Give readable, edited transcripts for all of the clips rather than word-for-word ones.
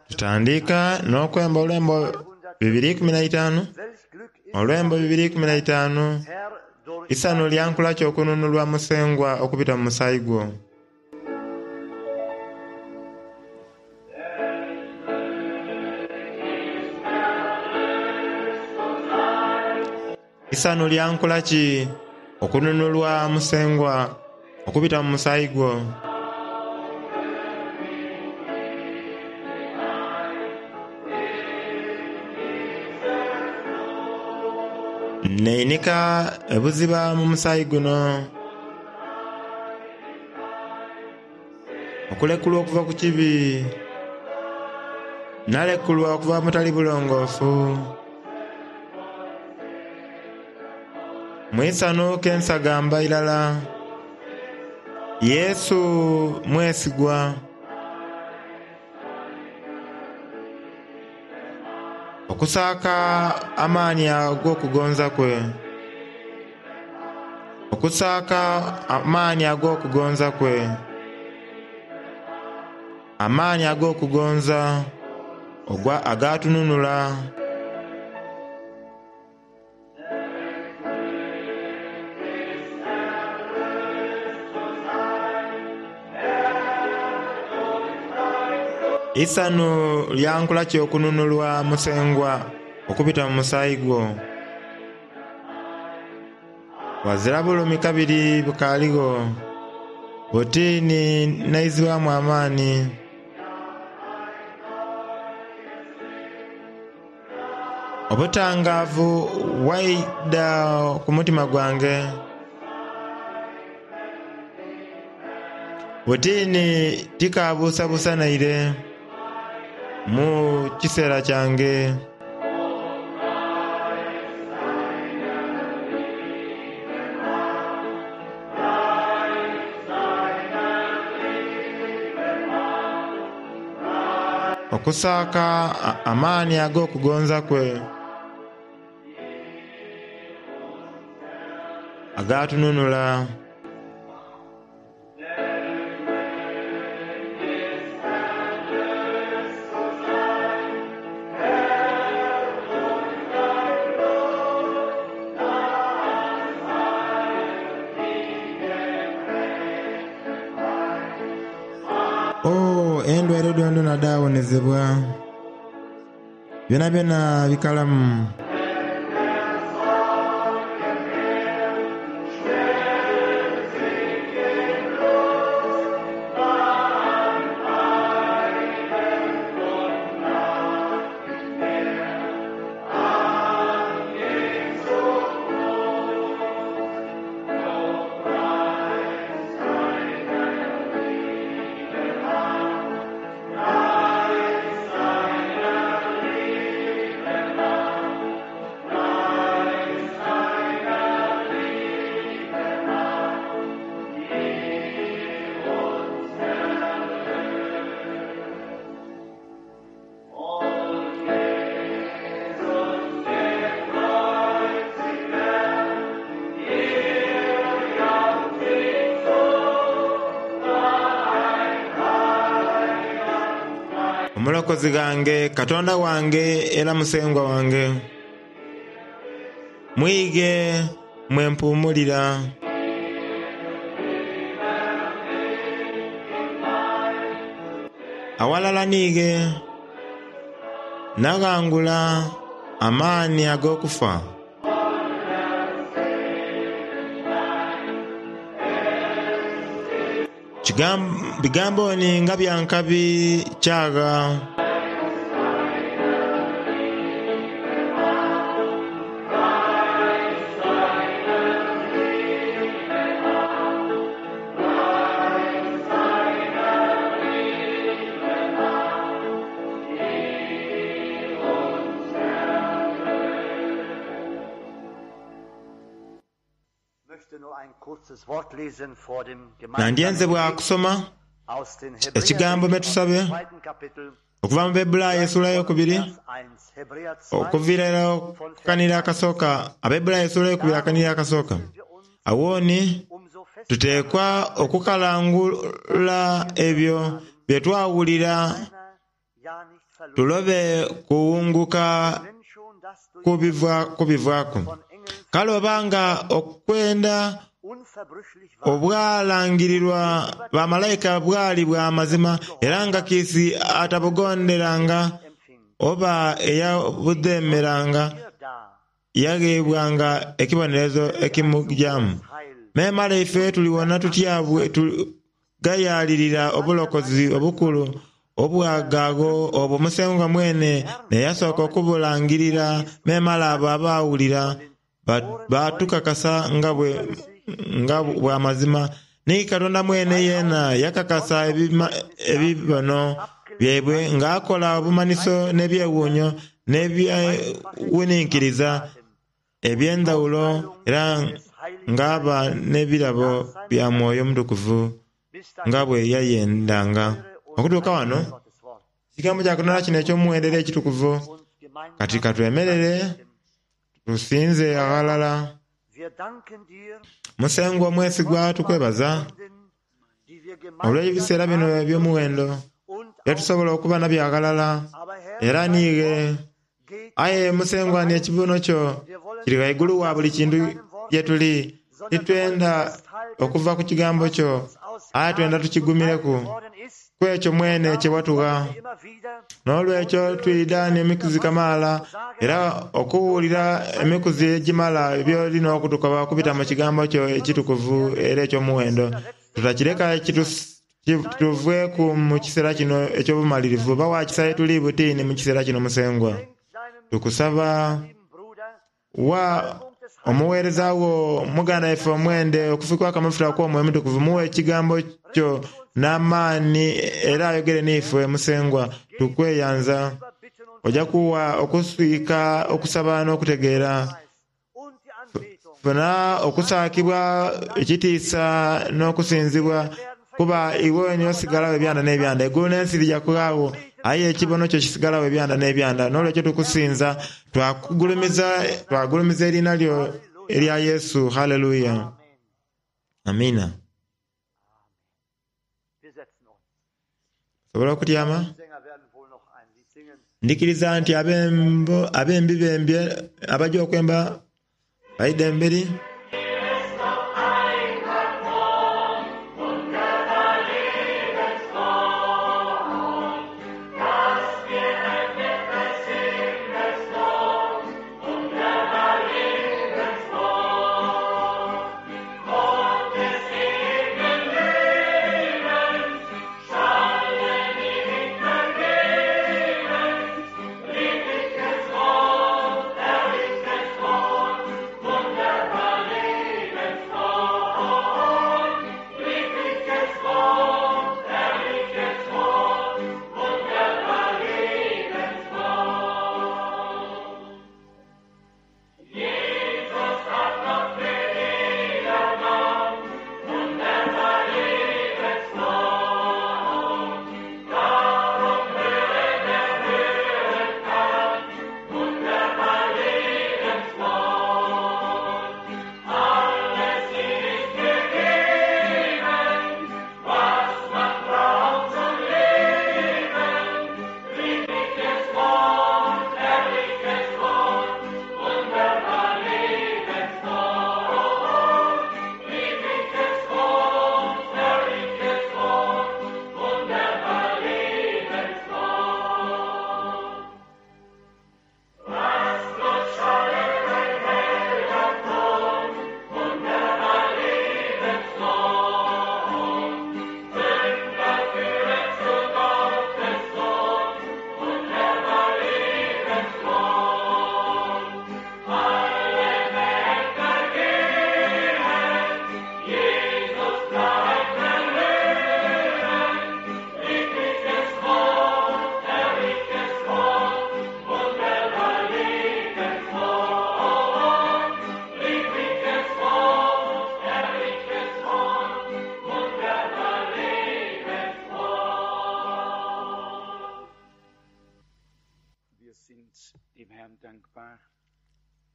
Tutandika n'okwemba olwembo 215, olwembo 215, Isanhu lyankula ki okununulwa Musengwa okubita mu musaayi gwo. Isanhu lyankula ki okununulwa Musengwa okubita mu musaayi gwo. Neinika ebuziba mu musaayi guno. Okulekulwa okuva ku kibi. Nalekulwa okuva mu butali bulongoofu. Mu isanhu ke nsagamba irala. Yesu mwesigwa. Okusaaka amaani ag'okugonza kwe. Okusaaka amaani ag'okugonza kwe. Amaani ag'okugonza agaatununula. Eisanhu lyankula ki okununulwa Musengwa okubita mu musaayi gwo. Ghazira bulumi kabiri bukaaligho, buti ni naizibwamu amaani. Obutangaavu bwaidha ku mutima gwange. Buti ni tikaabuusabuusa naire mu kiseera kyange. Okusaaka amaani ag'okugonza kwe agaatununula. Oh, endwaire dhoonadhoona dhaawonezebwa. Byonabyona bikalamu. Omulokozi ghange, Katonda wange era Musengwa wange, mwighe mwe mpuumulira. Aghalala n'ighe naghangula amaani ag'okufa. Bigambo ni nga bya nkabi kyagha. Nandyenze bwa kusoma ekigambo me tusabe okuva mu Bebulaayo esuula eyokubiri okuviira irala ku kanhiriro akasooka. Abebulaayo esuula eyokubiri akanhiriro akasooka. Agho ni tuteekwa okukalangula ebyo. Bye twawulira tulobe kuwunguka kubivaaku. Kale oba nga okwenda obwalangirirwa bamalayika bwali bwa mazima, era nga kiisi atabugonderanga oba eyabudheemeranga yagheebwanga ekibonerezo ekimugyamu. Memale ife tuliwona tutya bwe tugayaalirira obulokozi obukulu obwagaagho obwo Musengwa mwene n'eyasooka okubulangirira, memale abo abaawulira baatukakasa nga bwa mazima. Ni Katonda mwene yeena yakakasa ebibono byaibwe ng'akola obumanhiso n'ebyewuunhio n'ebyewuninkiriza eby'endhawulo era ng'aba n'ebirabo bya Mwoyo Mutukuvu nga bwe yayendanga. Okutuuka wano, ekigambo kya Katonda kino eky'omuwendo era ekitukuvu, kati ka twemerere tusinze aghalala. Musengwa omwesigwa tukwebaza olw'ebiseera bino eby'omuwendo bye tusobola okuba nabyo aghalala era niighe. Aye Musengwa ni ekibono kyo kiri ghaigulu wa buli kintu ye tuli. Titwenda okuva ku kigambo kyo, aye twenda tukigumireku ku ekyo mwene kye watugha. N'olwekyo twidha n'emikuzi kamaala, era okuwulira emikuzi egimala by'oli n'okutukoba okubita mu kigambo kyo ekitukuvu era eky'omuwendo. Tutakireka kituveeku mu kiseera kino eky'obumalirivu. Ba wa kisa ye tuli butini mu kiseera kino, Musengwa. Tukusaba wa omuweereza wo muganda waife omwende okufikwaku amafuta okw'Omwoyo Omutukuvu. Muwe ekigambo kyo n'amaani era ayogere n'ife, Musengwa. Tukweyanza. Oja kuwa okuswika okusaba n'okutegeera. Funa okusaakibwa, ekitiisa n'okusinzibwa, kuba iwe ni osigalagho ebyanda n'ebyanda. Eigulu n'ensi bija kughagho, aye ekibono kyo kisigalagho ebyanda n'ebyanda. N'olwekyo tukusinza, twakugulumiza, twagulumiza eriina lyo erya Yesu. Haleluya! Amiina. Osobola okutyama? Ndhikiriza nti abembi bembye abaja okwemba baidha emberi.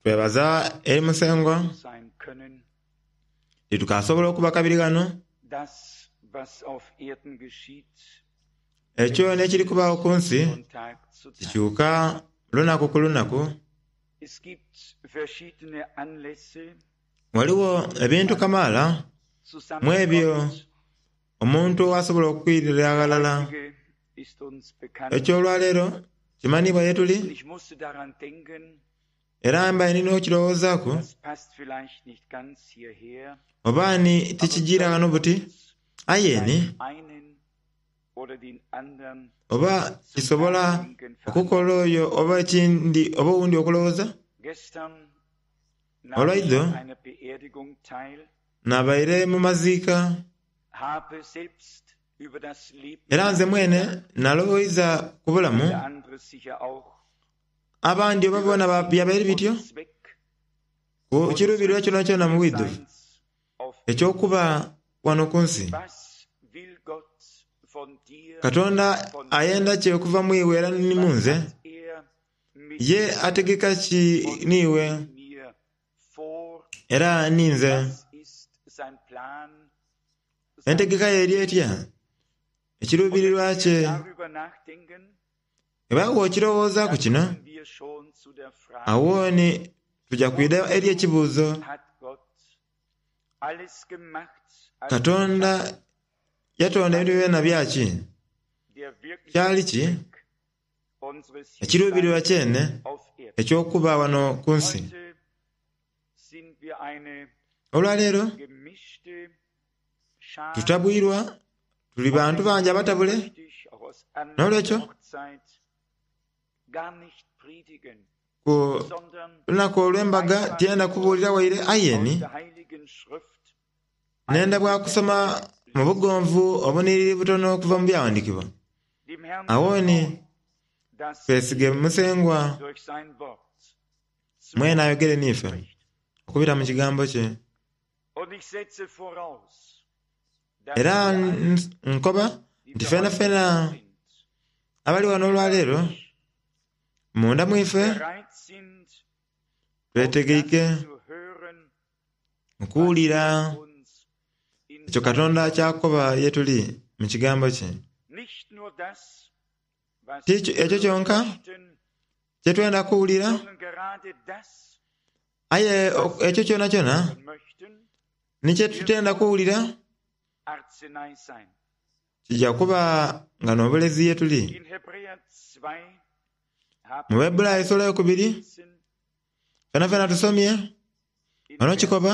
Twebaza eri Musengwa titukasobola okuba kabiri ghano. Ekyo n'ekiri kubaagho ku nsi kikyuka lunaku ku lunaku. Ghaligho ebintu kamaala mu ebyo omuntu ghasobola okwirira aghalala. Eky'olwaleero kimanhiibwa ye tuli, era mbaire ndi n'okirowoozaaku oba ni tikijiira ghano buti, aye ni oba kisobola okukola oyo oba ekindi oba owundi okulowooza. Olwaidho nabaire mu maziika era nze mwene nalowoiza ku bulamu. Abandi oba boona byabaire bityo ku kiruubirirwa kyonakyona mu bwidhuvu eky'okuba wano ku nsi. Katonda ayenda ki okuva mu iwe era ni mu nze? Ye ategeka ki n'iwe era ninze? Entegeka ye eri etya? Ekiruubirirwa kye? Bwe bw'okirowoozaaku kino, agho ni tuja kwidha eri ekibuuzo, Katonda yatonda ebintu byonabyona byaki? Kyali ki ekiruubirirwa kyene eky'okuba wano ku nsi? Olwaleero tutabwirwa, tuli bantu bangi abatabule. N'olwekyo, ku lunaku olw'embaga tiyenda kubuulira waire, aye ni nenda bwa kusoma mu bugonvu obunhiriri butono okuva mu Byaghandiikibwa. Agho ni twesige Musengwa mwene ayogere n'ife okubita mu kigambo kye. Era nkoba nti fenafena abali ghano olwaleero, munda mu ife twetegeike okuwulira ekyo Katonda ky'akoba ye tuli mu Kigambo kye. Ti ekyo kyonka kye twenda kuwulira, aye ekyo kyonakyona ni kye tutenda kuwulira kija kuba nga n'obulezi ye tuli. Mu Baebbulaayo esula eyokubiri, fenafena tusomye ghano kikoba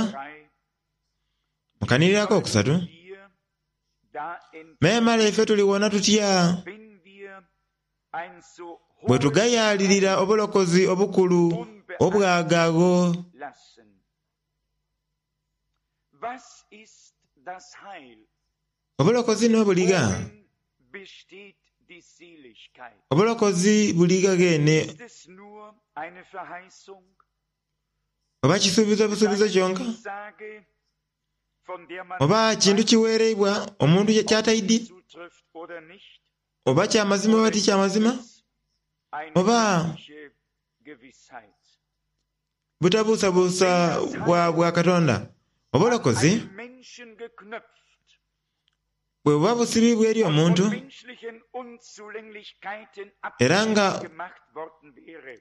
mu kanhiriro akokusatu, Memale ife tuliwona tutya bwe tugayaalirira obulokozi obukulu obwaga agho? Obulokozi no buli gha? Obulokozi buli gha gheene? Oba kisuubizo busuubizo kyonka? Oba kintu kiweereibwa omuntu ky'ataidhi? Oba kya mazima oba ti kya mazima? Oba butabuusabuusa bwa bwa Katonda? Obulokozi bwe buba busibiibwa eri omuntu era nga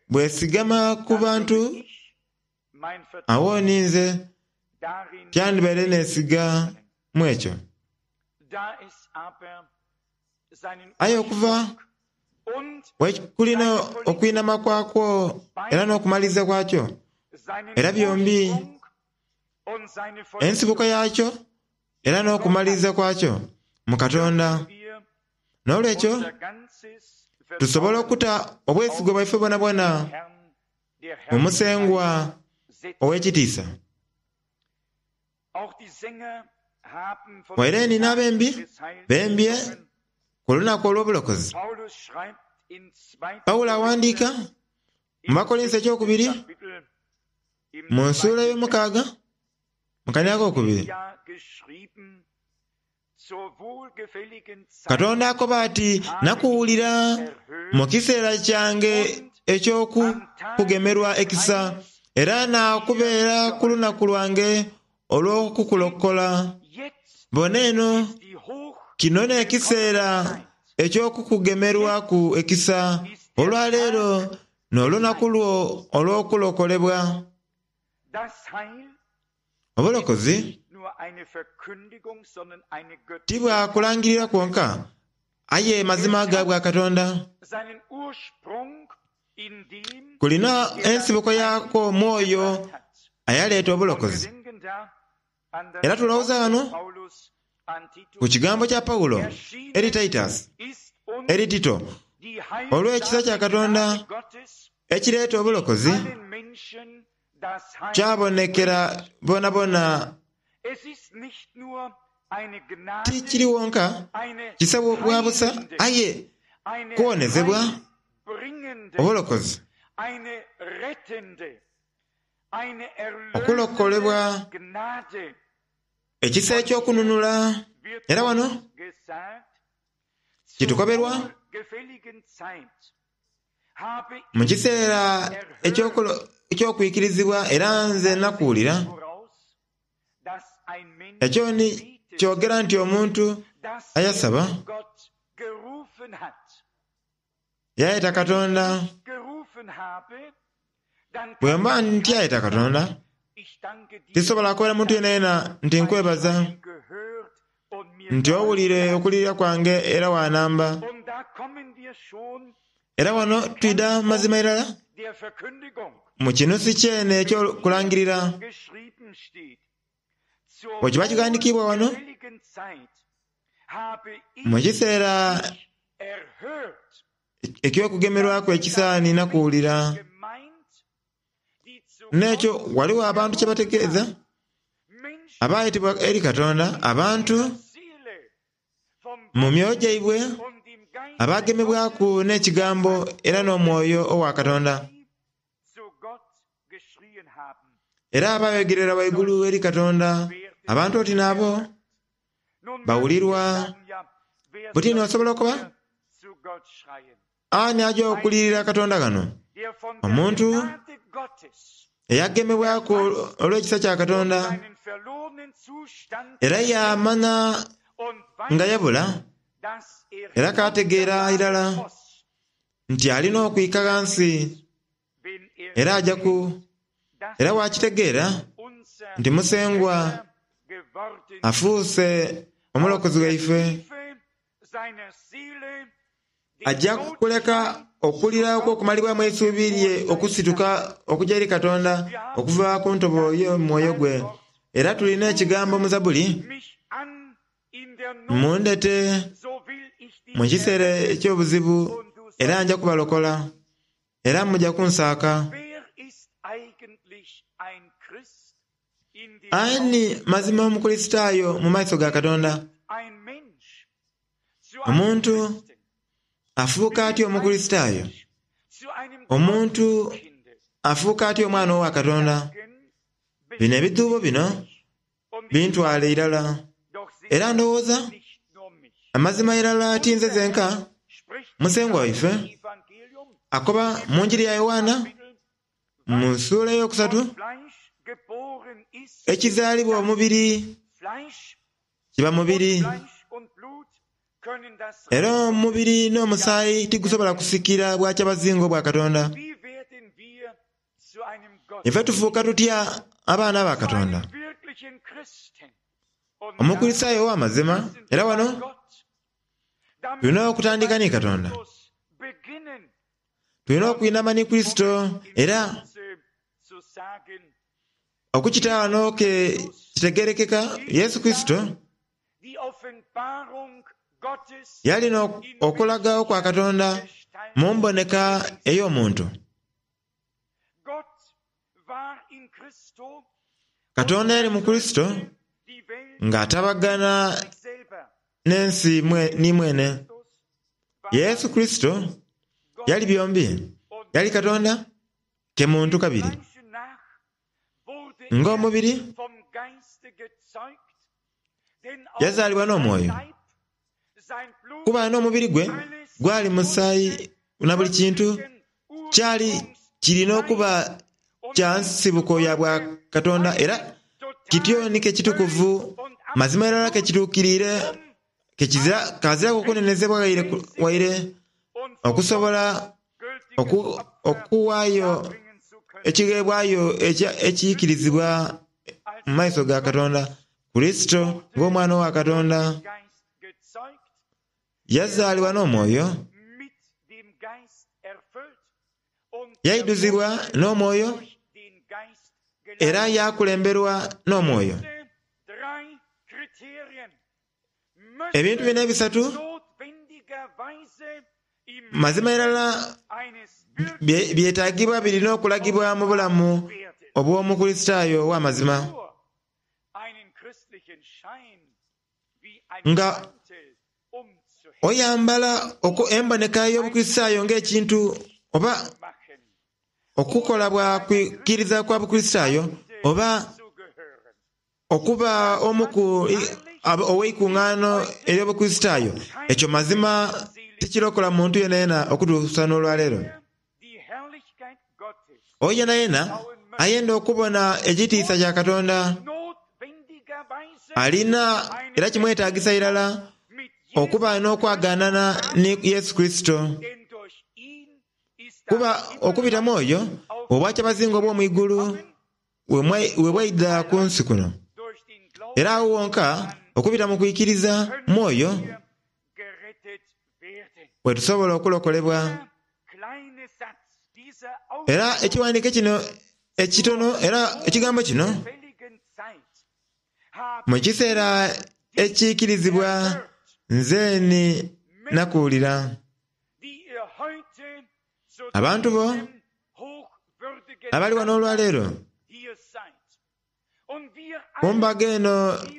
bwesigama ku bantu, agho ni nze tyandibaire neesiga mu ekyo. Aye okuva bwe kuli n'okwinhama kwakwo era n'okumaliriza kwakyo, era byombi ensibuko yaakyo era n'okumaliriza kwakyo mu Katonda. N'olwekyo tusobola okuta obwesigwa bwaife bwonabwona mu Musengwa ow'ekitiisa. Waire ni n'abembi bembye ku lunaku olw'obulokozi. Paulo aghandiika mu Bakolinso ekyokubiri mu nsuula eyomukaaga mu kanhiriro akokubiri, Katonda akoba ati, Nakuwulira mu kiseera kyange eky'okukugemerwa ekisa, era naakubeera ku lunaku lwange olw'okukulokola. Bona eno, kino n'ekiseera. eky'okukugemerwaku ekisa. Olwaleero n'olunaku lwo olw'okulokolebwa. Obulokozi ti bwa kulangirira kwonka, aye mazima ga bwa Katonda. Kulina ensibuko yaakwo mu oyo ayaleeta obulokozi. Era tulowooza ghano ku kigambo kya Paulo eri Titus, eri Tito, olw'ekisa kya Katonda ekireeta obulokozi kyabonekera bonabona. Ti kiri wonka kisa bwa busa, aye kuwonezebwa, obulokozi. Okulokolebwa, ekisa eky'okununula. Era wano kitukoberwa mu kiseera eky'okwikirizibwa, era nze nakuwulira. Ekyo ni kyogera nti omuntu ayasaba Yayeta Katonda. Bwe mba ntyayeta Katonda, tisobola kukobera muntu yenayena nti nkwebaza nti owulire okulirira kwange era waanamba. Era wano twidha mazima irala mu kinusu kyene eky'okulangirira. Bwe kiba kighandikiibwa wano, Mu kiseera eky'okugemerwaku ekisa nina kuwulira. N'ekyo ghaligho abantu kye bategeeza, abaayetebwa eri Katonda, abantu mu myoyo gyaibwe abaagemebwaku n'Ekigambo era n'Omwoyo owa Katonda. Era abaayogerera ghaigulu eri Katonda, abantu oti n'abo bawulirwa. Buti ni osobola okuba, Ani aja okulirira Katonda ghano? Omuntu eyagemebwaku olw'ekisa kya Katonda era yaamanha nga yabula, era kaategeera irala nti alina okwika ghansi era aja ku, era waakitegeera nti Musengwa afuuse Omulokozi waife, aja kuleka okulira okw'okumalibwamu eisuubi lye okusituka okuja eri Katonda okuva ku ntobo y'omwoyo gwe. Era tulina ekigambo mu Zabbuli, Mundhete mu kiseera eky'obuzibu era nja kubalokola, era muja kunsaaka. Ani mazima Omukurisitaayo mu maiso ga Katonda? Omuntu afuuka atya Omukurisitaayo? Omuntu afuuka atya omwana owa Katonda? Bino ebidhuubo bino bintwala irala. Era ndowooza, amazima irala ti nze zenka, Musengwa waife akoba mu Njiri ya Yoanna mu suula eyokusatu, ekizaalibwa omubiri kiba mubiri, era omubiri n'omusaayi tigusobola kusikira bwakyabazinga obwa Katonda. Ife tufuuka tutya abaana ba Katonda? Omukurisitaayo ow'amazima, era wano tulina okutandika ni Katonda. Tulina okwinama ni Kurisito era okukita wano ke kitegerekeka Yesu Kurisito yalina okulaga okwa Katonda mu mboneka ey'omuntu. Katonda yali mu Kurisito ng'atabagana n'ensi ni mwene. Yesu Kurisito yali byombi, yali Katonda ke muntu kabiri. Ng'omubiri, yazaalibwa n'omwoyo, kuba n'omubiri gwe gwali musaayi na buli kintu kyali kiri n'okuba kya nsibuko ya bwa Katonda era kityo ni ke kitukuvu mazima irala ke kituukiriire. Kaziraku okunenezebwa waire okusobola okuwaayo ekigheebwayo ekiikirizibwa mu maiso ga Katonda. Kurisito ng'Omwana wa Katonda yazaalibwa n'Omwoyo, yaidhuzibwa n'Omwoyo, era yaakulemberwa n'Omwoyo. Ebintu bino ebisatu mazima irala byetagibwa birina okulagibwa mu bulamu obw'Omukurisitaayo ow'amazima. Nga oyambala emboneka y'Obukurisitaayo ng'ekintu oba okukola bwa kwikiriza kwa Bukurisitaayo oba okuba omu ku ow'eikungaano ery'Obukurisitaayo, ekyo mazima tikirokola muntu yenayena okutuusa n'olwaleero. Oyo yenayena ayenda okubona ekitiisa kya Katonda alina era kimwetagisa irala okuba n'okwagaanana ni Yesu Kurisito. Kuba okubita mu oyo, obwakyabazinga obw'omu igulu we bwaidha ku nsi kuno. Era agho wonka okubita mu kwikiriza mu oyo we tusobola okulokolebwa. Era ekighandiiko kino ekitono era ekigambo kino mu kiseera ekiikirizibwa nze ni nakuwulira. Abantu bo abali wano olwaleero ku mbaga eno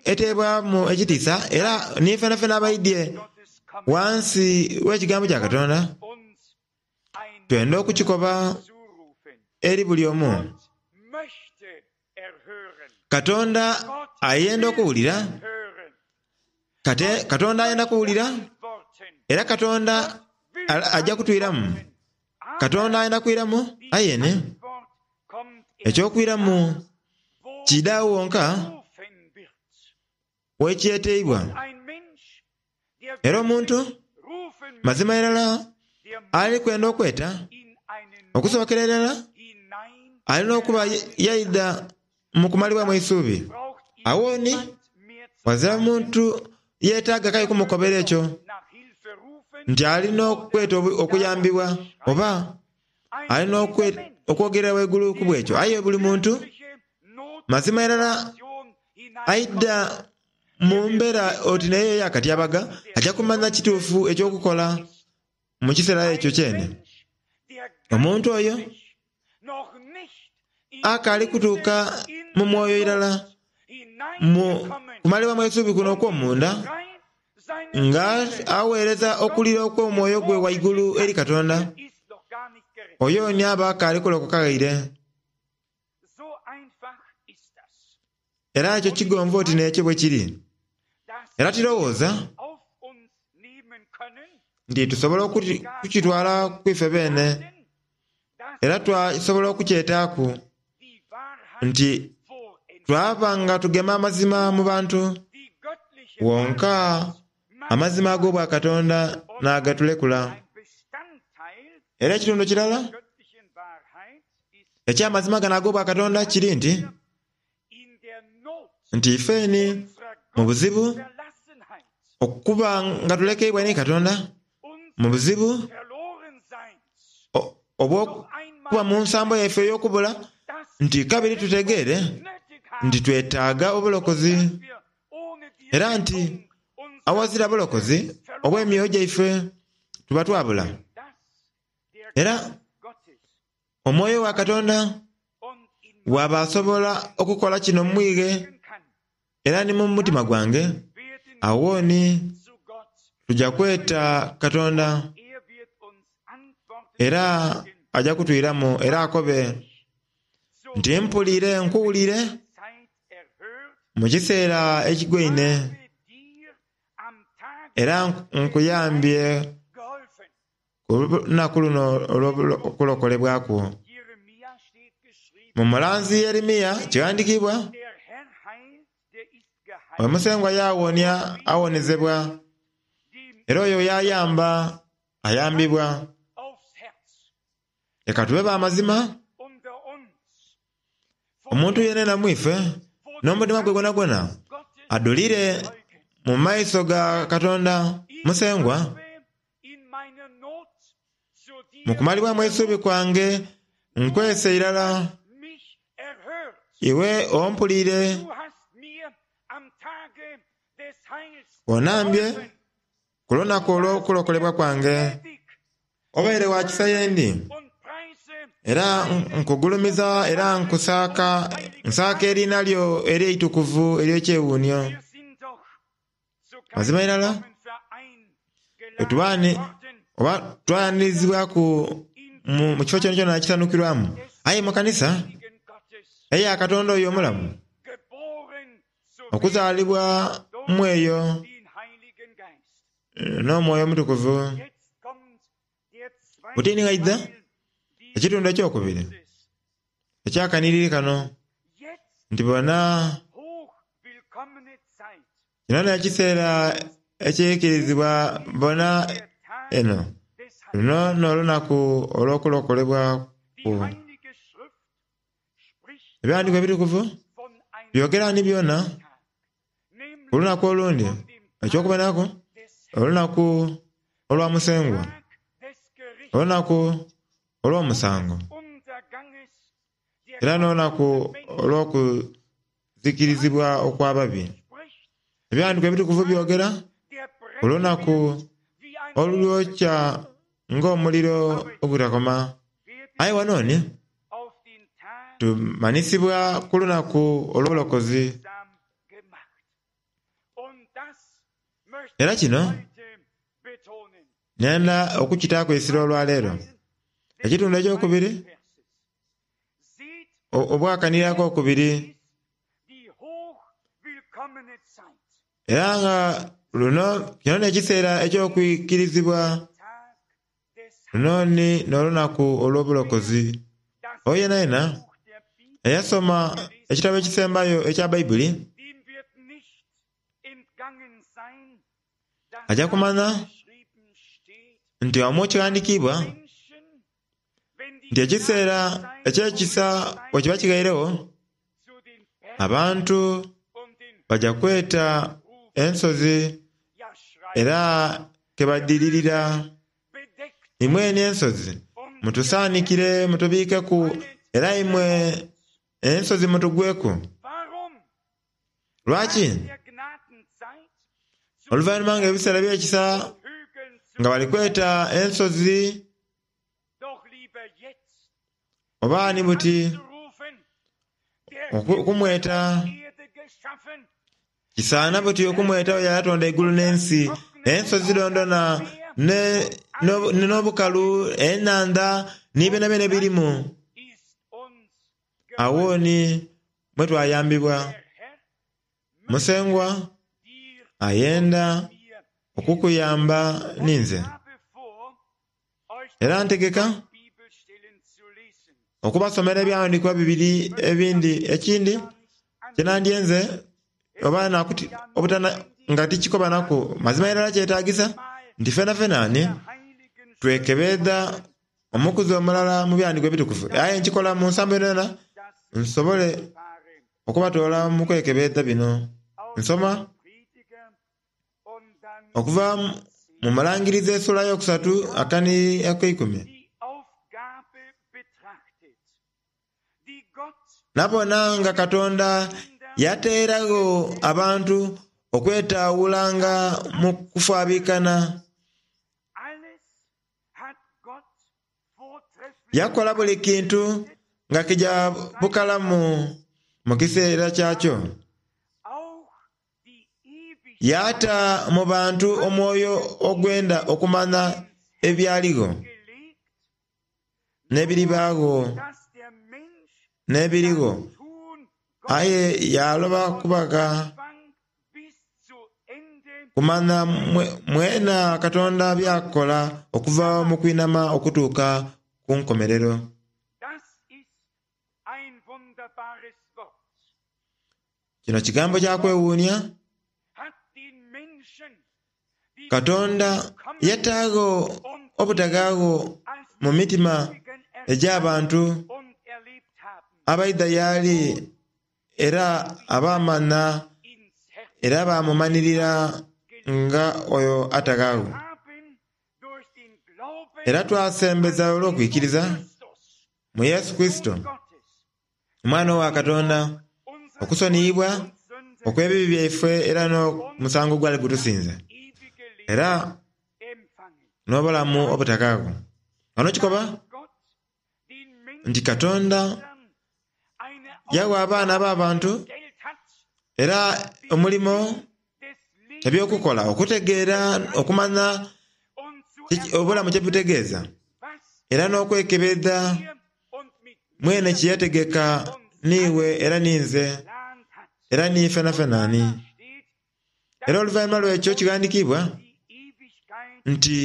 eteebwamu ekitiisa era ni fenafena abaidhye ghansi w'ekigambo kya Katonda, twenda okukikoba eri buli omu. Katonda ayenda okuwulira, Katonda ayenda kuwulira, era Katonda aja kutwiramu. Katonda ayenda kwiramu aye ni eky'okwiramu kiidha agho wonka wekyeteibwa. Era omuntu mazima irala ali kwenda okweta, okusookera irala alina okuba yaidha mu kumalibwamu eisuubi. Agho ni ghazira muntu yeetaaga k'aye kumukobera ekyo nti alina okweta okuyambibwa oba alina okwogerera ghaigulu ku bw'ekyo. Aye buli muntu mazima irala aidha mu mbeera oti n'eyo ey'akatyabaga, aja kumanya kituufu eky'okukola mu kiseera ekyo kyene. Omuntu oyo akaali kutuuka mu mwoyo irala mu kumalibwamu eisuubi kuno okw'omunda, nga agheereza okulira okw'omwoyo gwe ghaigulu eri Katonda, oyo ni aba akaali kulokoka ghaire. Era ekyo kigonvu oti n'ekyo bwe kiri. Era tirowooza nti tusobola okukitwala ku ife beene, era twasobola okukyetaaku nti twaba nga tugema amazima mu bantu wonka amazima ag'Obwakatonda n'agatulekula. Era ekitundu kirala eky'amazima gano ag'Obwakatonda kiri nti, nti ifeni mu buzibu okuba nga tulekeibwa ni Katonda, mu buzibu obw'okuba mu nsambo yaife ey'okubula, nti kabiri tutegeere nti twetaaga obulokozi, era nti awazira bulokozi obw'emyoyo gyaife tuba twabula. Era Omwoyo wa Katonda bw'aba asobola okukola kino mu mwighe era ni mu mutima gwange, agho ni tuja kweta Katonda era aja kutwiramu era akobe nti, Mpuliire, nkuwuliire mu kiseera ekigwaine era nkuyambye. Ku lunaku luno olw'okulokolebwa kwo. Mu mulanzi Yeremia kighandikiibwa, Oyo Musengwa y'awonia awonezebwa. Era oyo y'ayamba ayambibwa. Leka tube ba mazima, omuntu yenayena mu ife n'omutima gwe gwonagwona adhulire mu maiso ga Katonda Musengwa, mu kumalibwamu eisuubi kwange nkwese irala, iwe ompuliire. Onambye ku lunaku olw'okulokolebwa kwange. Obaire wa kisa ye ndi, era nkugulumiza era nkusaaka, nsaaka eriina lyo ery'eitukuvu ery'ekyewuunhio. Mazima irala, bwe ni oba twayanirizibwaku mu kifo kyonakyona ekisanhukirwamu, aye mu kanisa eya Katonda oyo omulamu, okuzaalibwa mu eyo n'Omwoyo Omutukuvu. Buti ni ghaidha ekitundu ekyokubiri ekyakanhiriri kano nti bona kino n'ekiseera ekyaikirizibwa bona eno luno n'olunaku olw'okulokolebwa ku. Ebyaghandiikibwa Ebitukuvu byogera ni byona ku lunaku olundi, eky'okubonaku, olunaku olwa Musengwa, olunaku olw'omusango, era n'olunaku olw'okuzikirizibwa okw'ababi. Ebyaghandiikibwa Ebitukuvu byogera ku lunaku olulyokya ng'omuliro ogutakoma. Aye ghano ni tumanhisibwa ku lunaku olw'obulokozi. Era kino nhenda okukitaaku eisira olwaleero. Ekitundu ekyokubiri, obwakanhirira akokubiri, era nga luno kino n'ekiseera eky'okwikirizibwa, luno ni n'olunaku olw'obulokozi. Oyo yenayena eyasoma ekitabo ekisembayo ekya Baibuli aja kumanha nti omwo kighandikiibwa nti ekiseera eky'ekisa bwe kiba kighairegho, abantu baja kweta ensozi era ke badhiririra. Imwe eni ensozi mutusaanikire mutubiikeku, era imwe ensozi mutugweku. Lwaki? Oluvainhuma ng'ebiseera eby'ekisa nga bali kweta ensozi oba ni buti okumweta, kisaana buti okumweta oyo eyatonda eigulu n'ensi, ensozi dhondhona n'obukalu, enhandha ni byonabyona ebirimu. Agho ni mwe twayambibwa. Musengwa ayenda okukuyamba ninze. Era ntegeka okubasomera ebyaghandiikibwa bibiri ebindi ekindi kye nandyenze oba obutana nga tikikoba naku mazima irala kyetagisa nti fenafena ni twekebeedha omukuzi omulala mu byaghandiikibwa ebitukuvu. Aye nkikola mu nsambo yonayona nsobole okubatoola mu kwekebeedha bino. Nsoma okuva mu Mulangirizi esula eyokusatu akani akeikumi. Nabona nga Katonda yateeragho abantu okwetaawulanga mu kufaabikana. Yakola buli kintu nga kija bukalamu mu kiseera kyakyo. Yaata mu bantu omwoyo ogwenda okumanha ebyaligho, n'ebiribaagho, n'ebirigho, aye yaaloba kubagha kumanha mwena Katonda by'akola okuva mu kwinhama okutuuka ku nkomerero. Kino kigambo kya kwewuunia. Katonda yataagho obutaghaagho mu mitima egy'abantu abaidha y'ali era abaamanha era baamumanhirira nga oyo ataghaagho. Era twasembeza olw'okwikiriza mu Yesu Kurisito, Omwana owa Katonda, okusoniyibwa okw'ebibi byaife era n'omusango ogwali gutusinze, era n'obulamu obutakaagho. Ghano kikoba nti Katonda yagha abaana ab'abantu era omulimo eby'okukola okutegeera, okumanha obulamu kye butegeeza, era n'okwekebeedha mwene kye yategeka n'iwe era ninze era ni fenafena ani. Era oluvainhuma lw'ekyo kighandikiibwa nti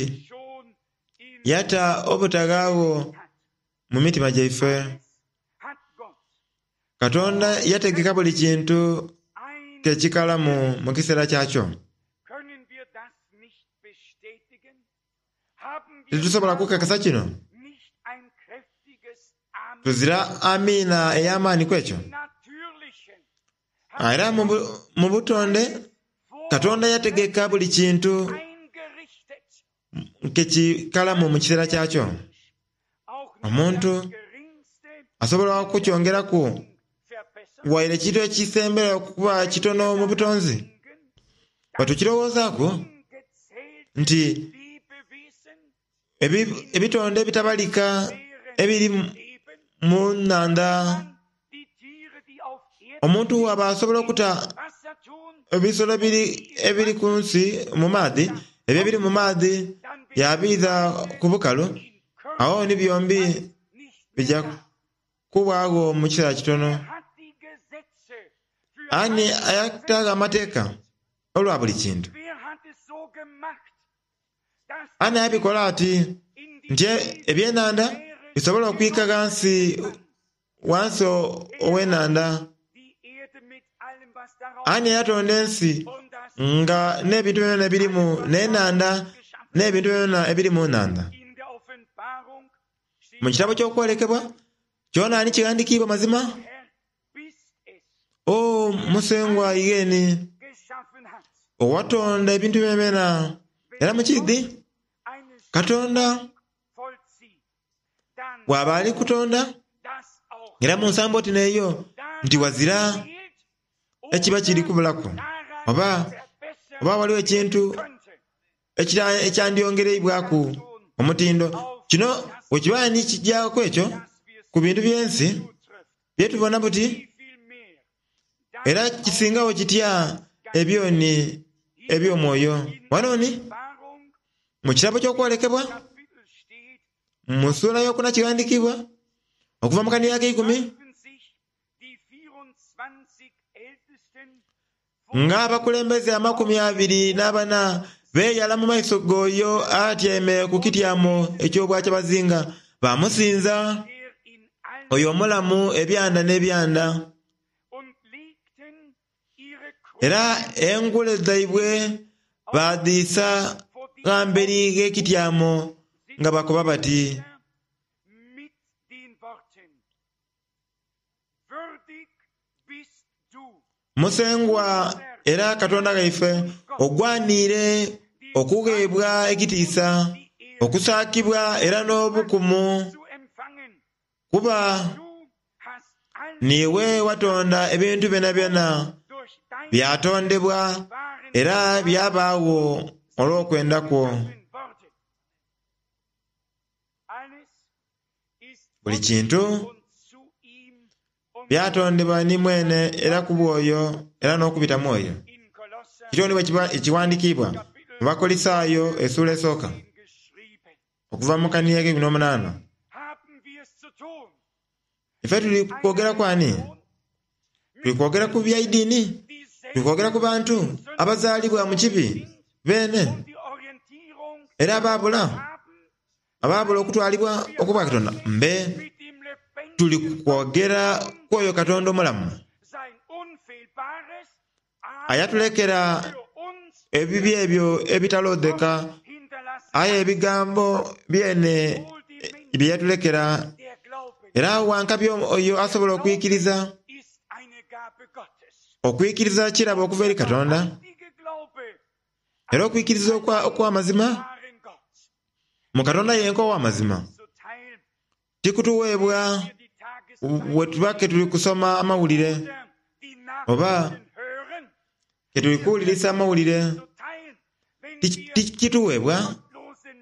yata obutaghaagho mu mitima gyaife. Katonda yategeka buli kintu ke kikalamu mu kiseera kyakyo. Titusobola kukakasa kino? Tuzira amiina ey'amaani ku ekyo? Era mu butonde, Katonda yategeka buli kintu ke kikalamu mu kiseera kyakyo. Omuntu asobola okukyongeraku waire ekintu ekisembera okuba kitono mu butonzi. Bwe tukirowoozaaku nti ebitonde ebitabalika ebiri mu nhandha, omuntu bw'aba asobola okuta ebisolo ebiri ku nsi mu maadhi, ebyo ebiri mu maadhi yaabiidha ku bukalu, agho ni byombi bija kubwagho mu kiseera kitono. Ani ayataagho amateeka olwa buli kintu? Ani abikola ati nti ebyenhandha bisobole okwika ghansi ghansi ow'enhandha? Ani eyatonda ensi nga n'ebintu byonabyona ebirimu, n'enhandha n'ebintu byonabyona ebiri mu nhandha? Mu kitabo ky'Okwolekebwa kyona ni kighandikiibwa mazima, O Musengwa igheeni, owatonda ebintu byonabyona, era mu kiidhi, Katonda bw'aba ali kutonda, era mu nsambo oti n'eyo, nti ghazira ekiba kiri kubulaku, oba oba ghaligho ekintu ekyandyongereibwaku omutindo. Kino bwe kiba ni kijaaku ekyo ku bintu by'ensi bye tubona buti, era kisingagho kitya ebyoni eby'omwoyo! Ghano ni mu kitabo ky'Okwolekebwa, mu sula eyokuna kighandikiibwa, okuva mu kanhiriri akeikumi, Ng'abakulembeze amakumi abiri n'abana beeyala mu maiso g'oyo atyaime ku kityamo eky'obwakyabazinga, baamusinza oyo omulamu ebyanda n'ebyanda. Era engule dhaibwe baadhiisa gha mberi gh'ekityamo nga bakoba bati. Musengwa era Katonda ghaife, ogwaniire okugheebwa ekitiisa, okusaakibwa era n'obukumu, kuba niiwe watonda ebintu byonabyona, byatondebwa era byabaagho olw'okwenda kwo. Buli kintu byatondebwa ni mwene era ku bw'oyo era n'okubita mu oyo. Kityo ni bwe kighandikiibwa mu Bakolisaayo esuula esooka, okuva mu kanhiriri akeikumi n'omunaana. Ife tuli kwogera ku ani? Tuli kwogera ku bya idiini? Tuli kwogera ku bantu abazaalibwa mu kibi beene era abaabula? Abaabula okutwalibwa okwa Katonda mbe tuli kwogera ku oyo Katonda omulamu ayatulekera ebibi ebyo ebitaloodheka, aye ebigambo byene bye yatulekera. Era wa nkabi oyo asobola okwikiriza. Okwikiriza kirabo okuva eri Katonda, era okwikiriza okw'amazima mu Katonda yenka ow'amazima tikutuweebwa bwe tuba ke tuli kusoma amawulire oba ke tuli kuwulirisa amawulire. Tikituweebwa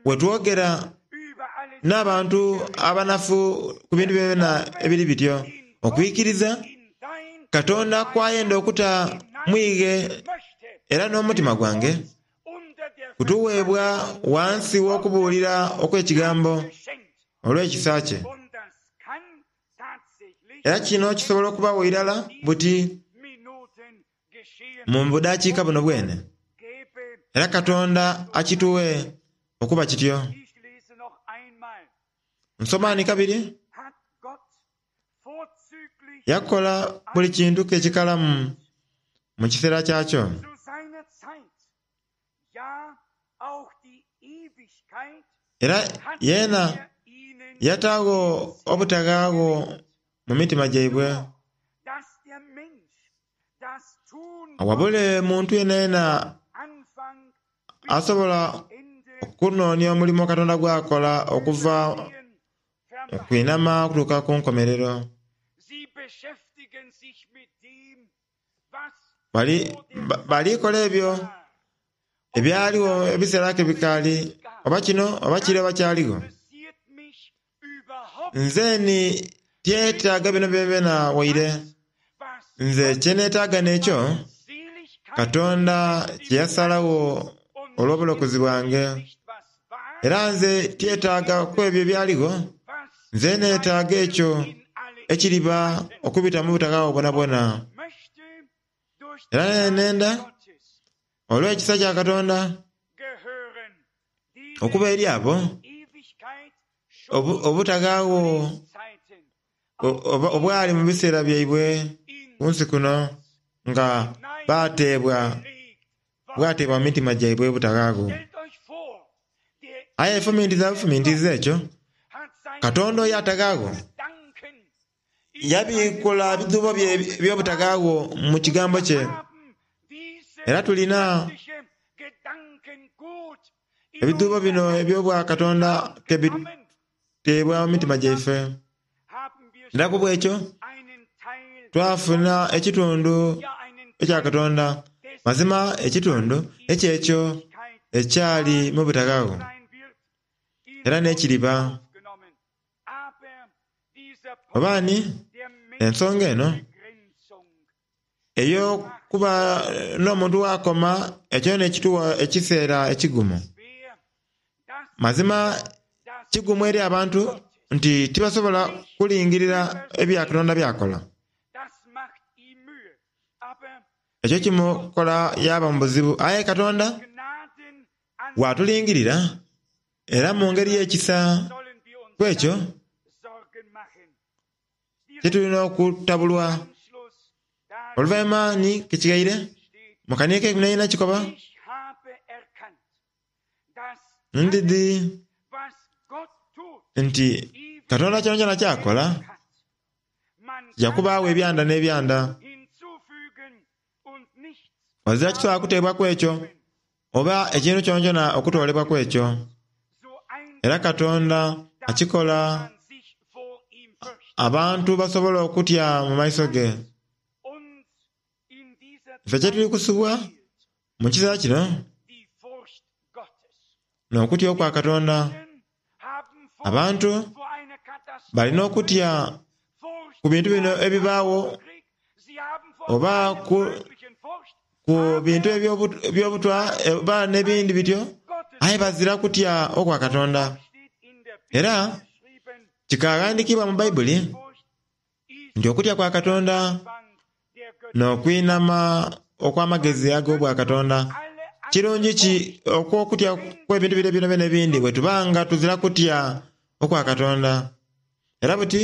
bwe twogera n'abantu abanafu ku bintu byonabyona ebiri bityo. Okwikiriza Katonda kw'ayenda okuta mu ighe era n'omutima gwange kutuweebwa ghansi w'okubuulira okw'Ekigambo olw'ekisa kye. Era kino kisobola okubagho irala buti mu budakiika buno bwene. Era Katonda akitughe okuba kityo. Nsoma ni kabiri. Yakola buli kintu ke kikalamu mu kiseera kyakyo. Era yeena yataagho obutaghaagho mu mitima gyaibwe. Wabule muntu yenayena asobola okunoonia omulimo Katonda gw'akola okuva mu kwinhama okutuuka ku nkomerero. Bali kola ebyo ebyaligho ebiseera ke bikaali, oba kino oba kire oba kyaligho. Nze ni tyetaaga bino byonabyona waire. Nze kye neetaaga n'ekyo Katonda kye yasalagho olw'obulokozi bwange. Era nze tyetaaga ku ebyo ebyaligho, nze neetaaga ekyo ekiriba okubita mu butaka bwo bwonabwona. Era nenda olw'ekisa kya Katonda okuba eri abo obutaghaagho obwali mu biseera byaibwe ku nsi kuno nga baateebwa bwateebwa mu mitima gyaibwe obutaghaagho. Aye fumintiza bufumintiza ekyo, Katonda oyo ataghaagho Yabiikula ebidhuubo bye eby'obutaghaagho mu Kigambo kye. Era tulina ebidhuubo bino eby'Obwakatonda ke biteebwa mu mitima gyaife. Era ku bw'ekyo twafuna ekitundu ekya Katonda, mazima ekitundu eky'ekyo ekyali mu butaghaagho, era n'ekiriba. Oba ni, ensonga eno ey'okuba n'omuntu gh'akoma, ekyo n'ekitugha ekiseera ekigumu. Mazima kigumu eri abantu nti tibasobola kulingirira ebya Katonda by'akola. Ekyo kimukola yaaba mu buzibu. Aye Katonda bw'atulingirira, Era mu ngeri y'ekisa ku ekyo titulina okutabulwa. Oluvainhuma ni kikighaire mu kaniiko keikumi n'eina kikoba, Ndidhi nti Katonda kyonakyona ky'akola kija kubaagho ebyanda n'ebyanda. Ghazira kisobola kuteebwaku ekyo, oba ekintu kyonakyona okutoolebwaku ekyo. Era Katonda akikola abantu basobole okutya mu maiso ge. Ife kye tuli kusubwa mu kiseera kino n'okutya okwa Katonda. Abantu bali n'okutya ku bintu bino ebibaagho oba ku, ku bintu eby'obutwa oba n'ebindi bityo, aye bazira kutya okwa Katonda. Era kikaghandiikibwa mu Baibuli nti okutya kwa Katonda n'okwinhama okw'amagezi ag'obwakatonda. Kirungi ki okw'okutya kw'ebintu bire byonabyona ebindi bwe tuba nga tuzira kutya okwa Katonda? Era buti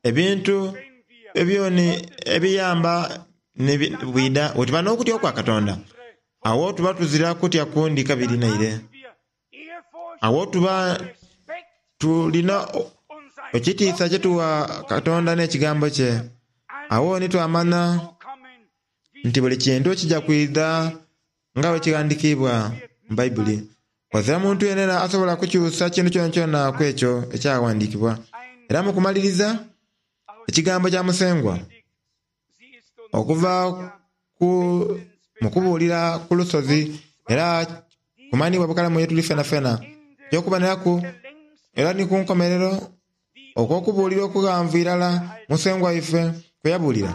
ebintu ebyoni ebiyamba ni bwidha bwe tuba n'okutya okwa Katonda. Agho tuba tuzira kutya kundi kabiri naire. Agho tuba tulina ekitiisa kye tuwa Katonda n'ekigambo kye. Agho ni twamanha nti buli kintu kija kwidha nga bwe kighandikiibwa mu Baibuli. Ghazira muntu yenayena asobola kukyusa kintu kyonakyona ku ekyo ekyaghandiikibwa. Era mu kumaliriza, ekigambo kya Musengwa okuva ku mu kubuulira ku lusozi era kumanhiibwa bukalamu ye tuli fenafena. Eky'okuboneraku era ni ku nkomerero okw'okubuulira okughanvu irala Musengwa waife kwe yabuulira.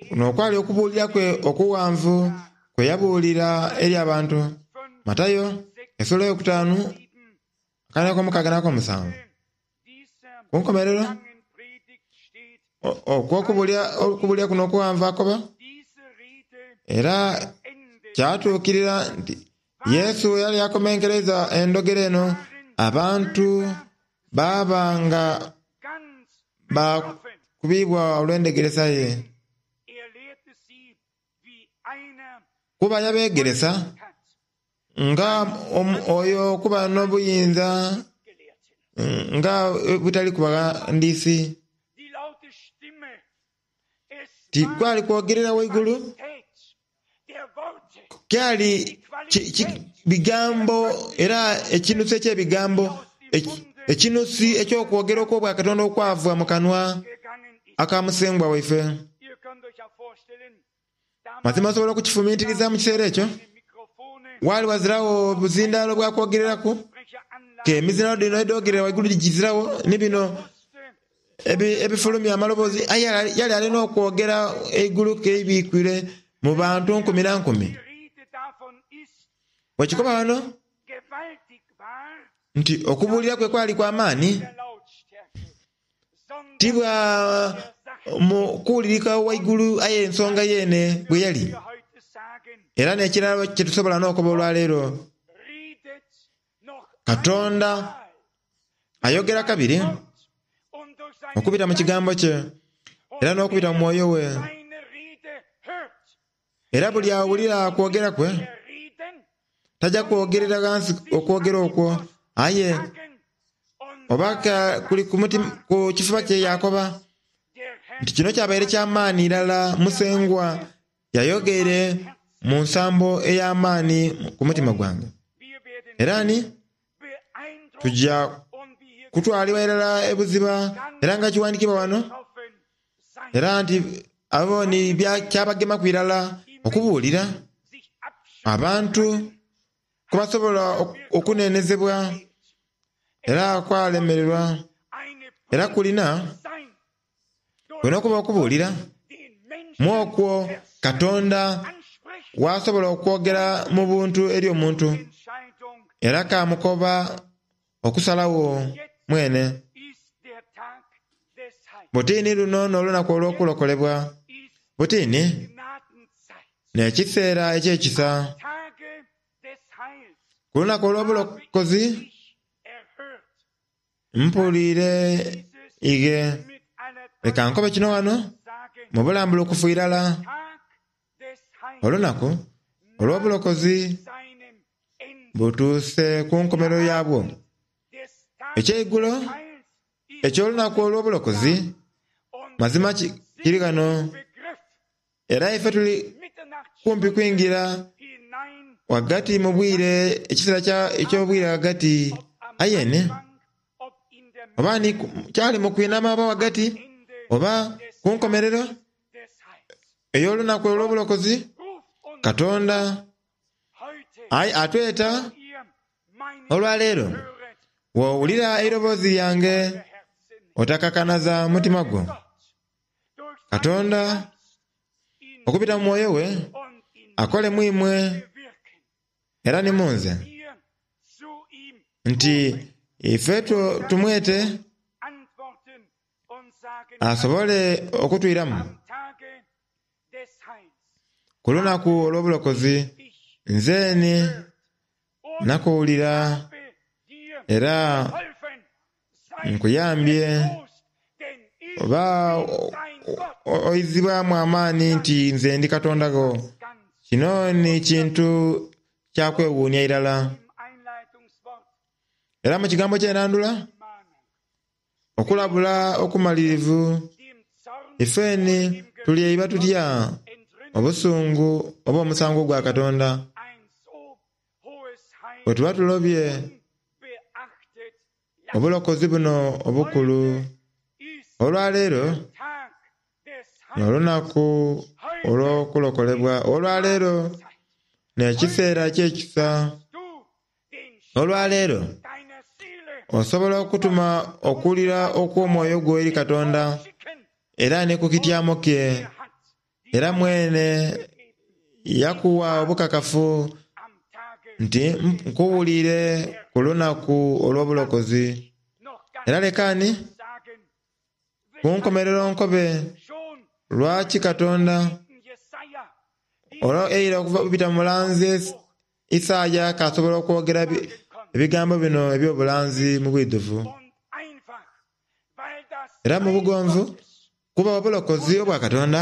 Kuno okwali okubuulira kwe okughanvu kwe yabuulira eri abantu. Matayo esula eyokutaanu akana akomukaaga n'akomusanvu. Ku nkomerero okw'okubuulira kuno okughanvu akoba, Era kyatuukirira nti Yesu bwe yali akomenkereiza endhogera eno, abantu baaba nga bakubiibwa olw'endhegeresa ye. Kuba yabeegeresa nga oyo okuba n'obuyinza nga butali ku baghandiisi. Tikwali kwogerera waigulu, kyali bigambo era ekinusu eky'ebigambo, ekinusu eky'okwogera okw'Obwakatonda okwava mu kanwa aka Musengwa waife. Mazima osobola okukifumintiriza mu kiseera ekyo? Waali ghaziragho buzindaalo bwa kwogereraku, ke emizindaalo dhino edhogerera waigulu giziragho, ni bino ebifulumya amaloboozi, aye yali ali n'okwogera eigulu keibikwire mu bantu nkumi na nkumi. Bwekikoba ghano nti okubuulira kwe kwali kwa maani, ti bwa mu kuwulirika waigulu aye ensonga yeene bwe yali. Era n'ekirala kye tusobola n'okoba olwaleero, Katonda ayogera kabiri okubita mu Kigambo kye era n'okubita mu Mwoyo we. Era buli awulira kwogera kwe taja kwogerera ghansi okwogera okwo, aye oba kuli ku kifuba kye yaakoba nti kino kyabaire kya maani irala Musengwa yayogeire mu nsambo ey'amaani ku mutima gwange. Era ni tuja kutwalibwa irala ebuziba, era nga kiwandiikibwa wano, era nti abo ni kyabagemaku irala okubuulira abantu ku basobola okunenezebwa era kwalemererwa. Era kulina kulina okuba okubuulira mu okwo Katonda w'asobola okwogera mu buntu eri omuntu era kaamukoba okusalagho mwene. Buti ni luno n'olunaku olw'okulokolebwa. Buti ni n'ekiseera eky'ekisa. Ku lunaku olw'obulokozi mpuliire ighe. Leka nkobe kino ghano mu bulambulukufu irala. Olunaku olw'obulokozi butuuse ku nkomerero yaabwo. Ekyeigulo eky'olunaku olw'obulokozi mazima kiri ghano, era ife tuli kumpi kwingira ghagati mu bwire, ekiseera eky'obwire ghagati. Aye ni, oba ni kyali mu kwinhama oba ghagati, oba ku nkomerero ey'olunaku olw'obulokozi, Katonda aye atweta olwaleero, Bw'owulira eiroboozi lyange, otakakanaza mutima gwo. Katonda, okubita mu Mwoyo we, akole mu imwe era ni mu nze, nti ife tumwete asobole okutwiramu ku lunaku olw'obulokozi. Nze ni nakuwulira era nkuyambye oba oizibwamu amaani nti nze ndi Katonda gho. Kino ni kintu kya kwewuunia irala. Era mu kigambo ky'enandula, okulabula okumalirivu, ifeni tulyeiba tutya obusungu oba omusango gwa Katonda bwe tuba tulobye obulokozi buno obukulu. Olwaleero n'olunaku olw'okulokolebwa. Olwaleero n'ekiseera eky'ekisa. Olwaleero osobola okutuma okuwulira okw'omwoyo gwo eri Katonda era ni ku kityamo kye, era mwene yakuwa obukakafu nti nkuwulire ku lunaku olw'obulokozi. Era lekani ku nkomerero nkobe lwaki Katonda olwo eira okubita mu mulanzi Isaaya kasobola okwogera ebigambo bino eby'obulanzi mu bwidhuvu. Era mu bugonvu, kuba obulokozi obwa Katonda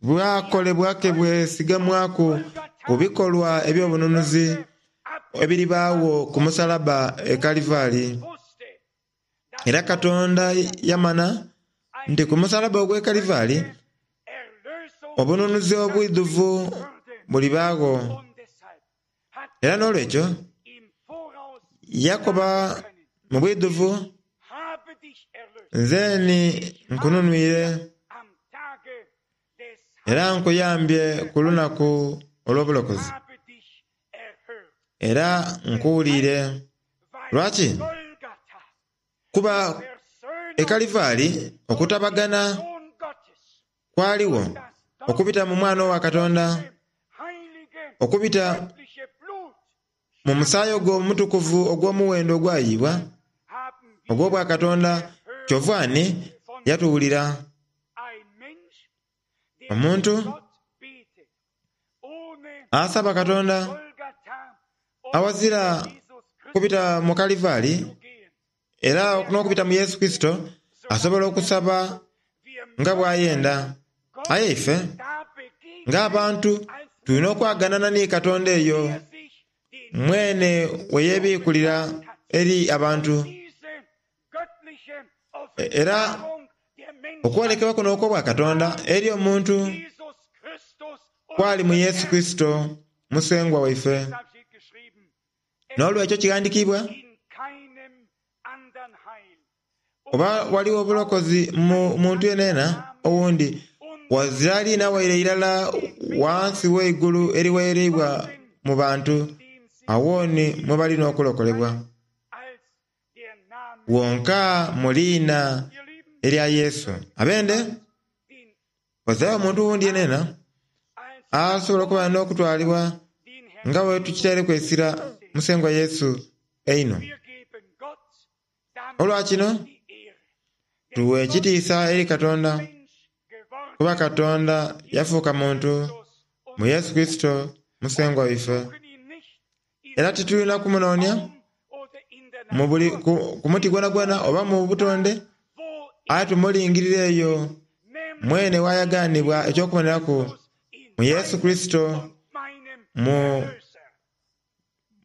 bwakolebwa ke bwesigamwaku ku bikolwa eby'obununuzi ebiribaawo ku musalaba e Kalivaali. Era Katonda yamana nti ku musalaba ogw'e Kalivaali obununuzi obwidhuvu bulibaagho. Era n'olwekyo yakoba mu bwidhuvu, nze ni nkununwire era nkuyambye ku lunaku olw'obulokozi, era nkuwulire. Lwaki? Kuba e Kalivaali okutabagana kwaligho okubita mu Mwana wa Katonda, okubita mu musaayi ogwo omutukuvu ogw'omuwendo ogwayiibwa ogw'obwakatonda, kyova ni yatuwulira. Omuntu asaba Katonda awazira kubita mu Kalivaali era n'okubita mu Yesu Kristo asobola okusaba nga bw'ayenda. Aye ife ng'abantu tulina okwaganana ni Katonda eyo mwene we yeebiikulira eri abantu. Era okwolekebwa kuno okw'obwa Katonda eri omuntu kwali mu Yesu Kristo Musengwa waife. N'olwekyo kighandikiibwa, oba waliwo obulokozi mu muntu yenayena owundi, wazira liina waire irala wansi w'eigulu eriweereibwa mu bantu, awo ni mwe balina okulokolebwa. Wonka mu liina erya Yesu. Abende, wazirayo omuntu wundi yenayena asobola okuba n'okutwalibwa nga bwe tukitaireku essira Musengwa Yesu einho. Olwa kino, tuwa ekitiisa eri Katonda, kuba Katonda yafuuka muntu mu Yesu Kristo Musengwa waife. Era titulina kumunoonia mu buli ku muti gwonagwona oba mu butonde, aye tumulingirira eyo mwene wayagaanibwa eky'okuboneraku mu Yesu Kristo mu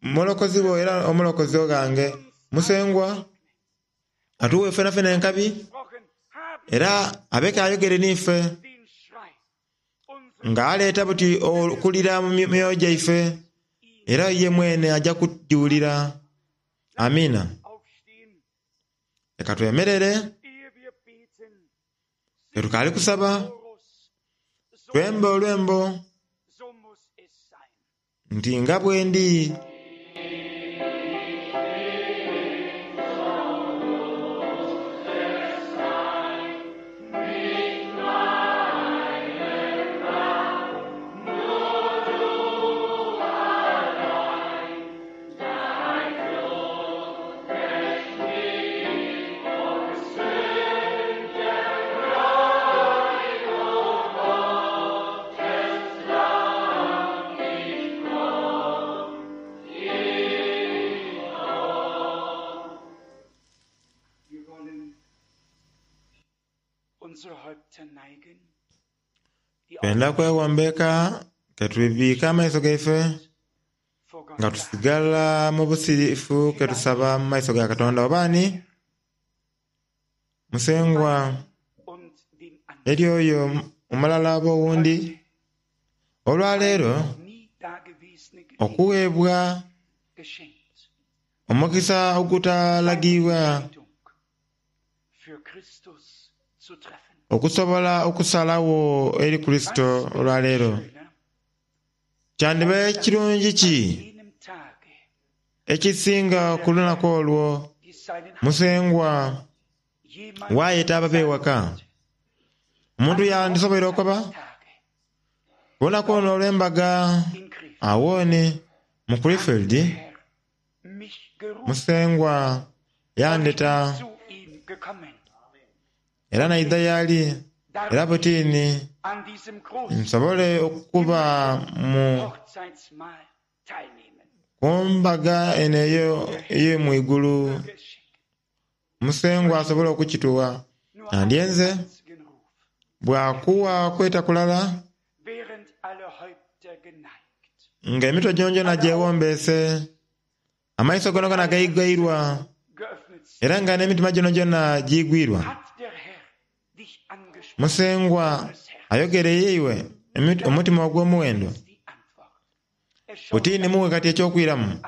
mulokozi wo era omulokozi ghange. Musengwa atuwe fenafena enkabi era abeke ayogere n'ife nga aleeta buti okulira mu myoyo gyaife, era ye mwene aja kujiwulira. Amiina. Leka twemerere tetukaali kusaba, twembe olwembo nti nga bwendi. Twenda kwewombeeka ketubiike amaiso gaife nga tusigala mu busirifu ketusaba mu maiso ga Katonda. Oba ani? Musengwa eri oyo omulala oba owundi, olwaleero okuweebwa omukisa ogutalagibwa okusobola okusalagho eri Kurisito olwaleero. Kyandiba kirungi ki ekisinga ku lunaku olwo Musengwa waayeta ababe ewaka? Omuntu yandisoboire okoba, ku lunaku luno olw'embaga awooni mu Krefeld, Musengwa yandheta era naidha y'ali, era butini nsobole okuba mu ku mbaga eno ey'omwigulu. Musengwa asobole okukituwa. Nandyenze bwakuwa kweta kulala nga emitwe gyongyona gyewombeese, amaiso gonagona gaigairwa, era nga n'emitima gyonagyona giigwirwa. Musengwa ayogereire iwe omutima ogw'omuwendo. Buti ni muwe kati eky'okwiramu,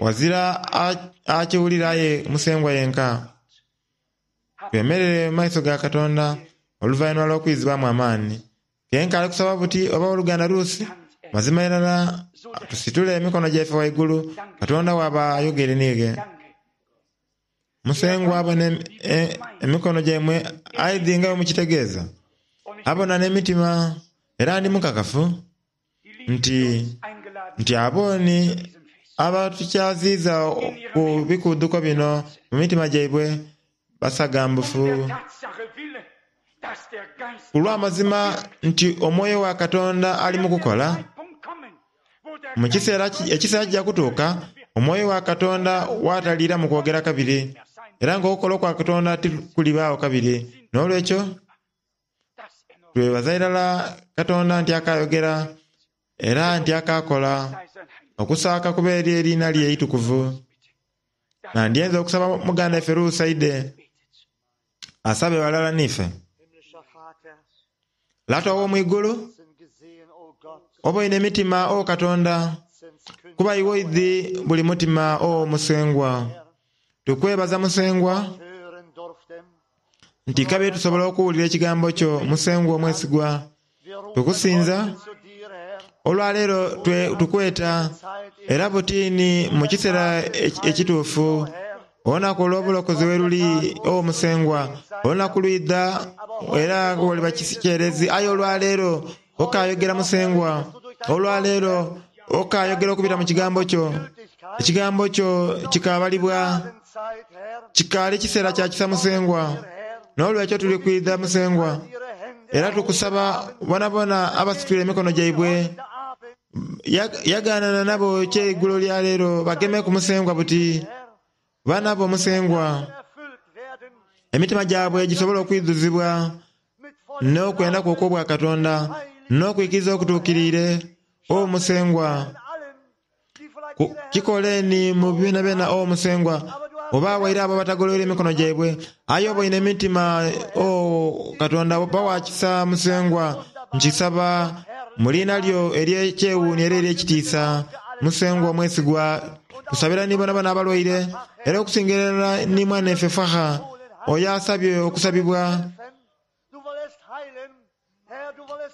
ghazira akiwulira aye Musengwa yenka. Twemerere mu maiso ga Katonda oluvainhuma lw'okwizibwamu amaani. Kenka ali kusaba buti oba oluganda Ruusi, mazima irala tusitule emikono gyaife ghaigulu, Katonda bw'aba ayogere niighe. Musengwa abona emikono gyaimwe aidhi nga bwemukitegeeza. Abona n'emitima, era ndi mukakafu nti nti abooni abatukyaziiza ku bikuudhuko bino mu mitima gyaibwe basagambufu ku lw'amazima nti omwoyo wa Katonda ali mu kukola. Mu kiseera ekiseera kija kutuuka omwoyo wa Katonda w'ataliiramu kwogera kabiri, era ng'okukola okwa Katonda tikulibaagho kabiri. N'olwekyo twebaza irala Katonda nti akayogera era nti akakola, okusaaka kuba eri eriina lye eitukuvu. Nandyenze okusaba muganda ife Ruusi aidhe asabe ghalala niife. Lata ow'omu igulu, oboine emitima, o Katonda, kuba iwe oidhi buli mutima, o Musengwa. Tukwebaza Musengwa nti kabiri tusobola okuwulira ekigambo kyo, Musengwa omwesigwa. Tukusinza olwaleero tukweta era butini mu kiseera ekituufu. Olunaku olw'obulokozi we luli, o Musengwa, olunaku lwidha era ghaliba kikyerezi. Aye olwaleero okaayogera Musengwa, olwaleero okaayogera okubita mu kigambo kyo. Ekigambo kyo kikaabalibwa, kikaali kiseera kya kisa Musengwa. N'olwekyo tuli kwidha Musengwa, era tukusaba bonabona abasitwire emikono gyaibwe yagaanana nabo ekyeigulo lya leero bagemeku Musengwa buti. Baana bo Musengwa, emitima gyabwe gisobole okwidhuzibwa n'okwenda kwo okw'Obwakatonda n'okwikiriza okutuukiriire. O Musengwa, kikoleni mu byonabyona, o Musengwa, oba waire abo abatagoloire emikono gyaibwe. Aye oboine emitima, o Katonda, ba wa kisa Musengwa. Nkisaba mu liina lyo ery'ekyewuunhio era ery'ekitiisa, Musengwa omwesigwa. Tusabira ni bonabona abalwaire, era okusingira irala ni mwanaife Faha oyo asabye okusabibwa.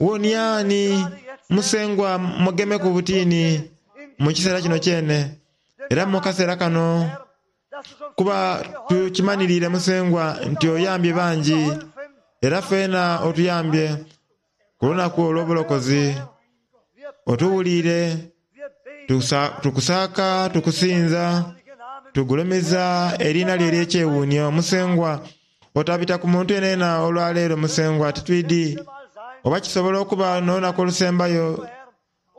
Wonia ni Musengwa mugemeku butini mu kiseera kino kyene, era mu kaseera kano, kuba tukimanhiriire Musengwa nti oyambye bangi, era feena otuyambye ku lunaku olw'obulokozi. Otuwuliire, tukusaaka, tukusinza, tugulumiza eriina lyo ery'ekyewuunhio. Musengwa, otabita ku muntu yenayena olwaleero, Musengwa. Titwidhi oba kisobola okuba n'olunaku olusembayo,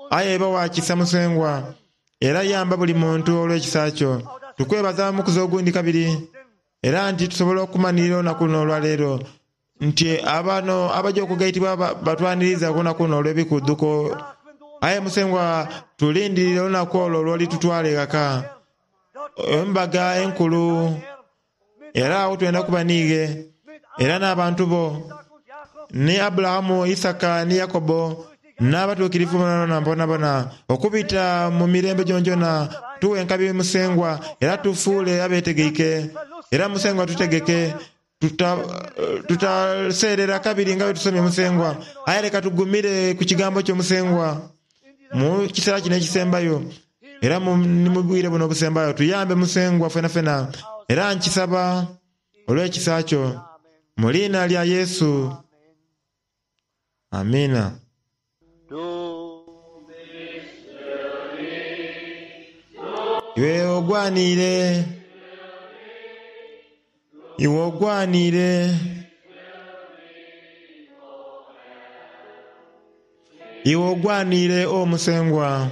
aye ba wa kisa, Musengwa, era yamba buli muntu olw'ekisa kyo. Tukwebaza omukuzi ogundi kabiri, era nti tusobola okumanhirira olunaku luno olwaleero. Nti abano abaja okugaitibwa batwaniriza ku lunaku luno olw'ebikudhuko. Aye Musengwa, tulindirire olunaku olwo lw'olitutwala eghaka, embaga enkulu. Era agho twenda kuba n'ighe, era n'abantu bo, ni Aburahamu, Isaaka ni Yakobo, n'abatuukirivu boonaboona bonabona, okubita mu mirembe gyonagyona. Tughe enkabi Musengwa, era tufuule abeetegeike. Era Musengwa tutegeke, Tutaseerera kabiri nga bwe tusomye Musengwa, aye leka tugumire ku kigambo kyo Musengwa mu kiseera kino ekisembayo era ni mu bwire buno obusembayo. Tuyambe Musengwa fenafena, era nkisaba olw'ekisa kyo, mu liina lya Yesu. Amiina. Iwe ogwaniire, iwe ogwaniire. Iwe ogwaniire, O Musengwa,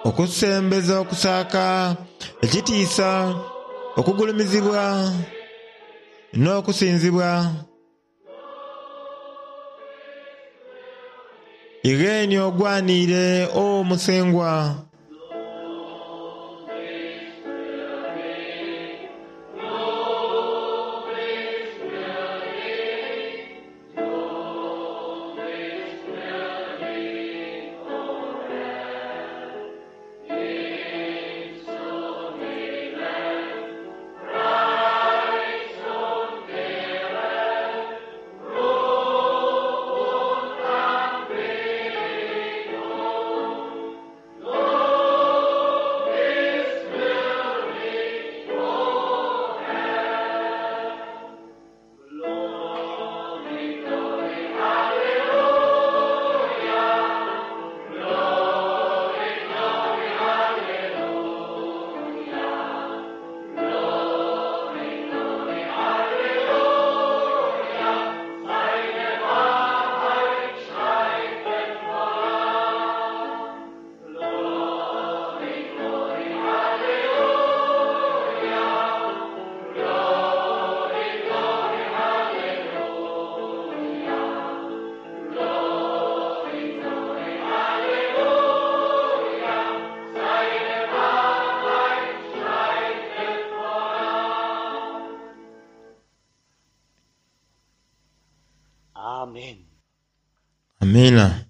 okusembeza okusaaka, ekitiisa, okugulumizibwa n'okusinzibwa. Igheeni ogwaniire, O Musengwa. Amen. Amiina.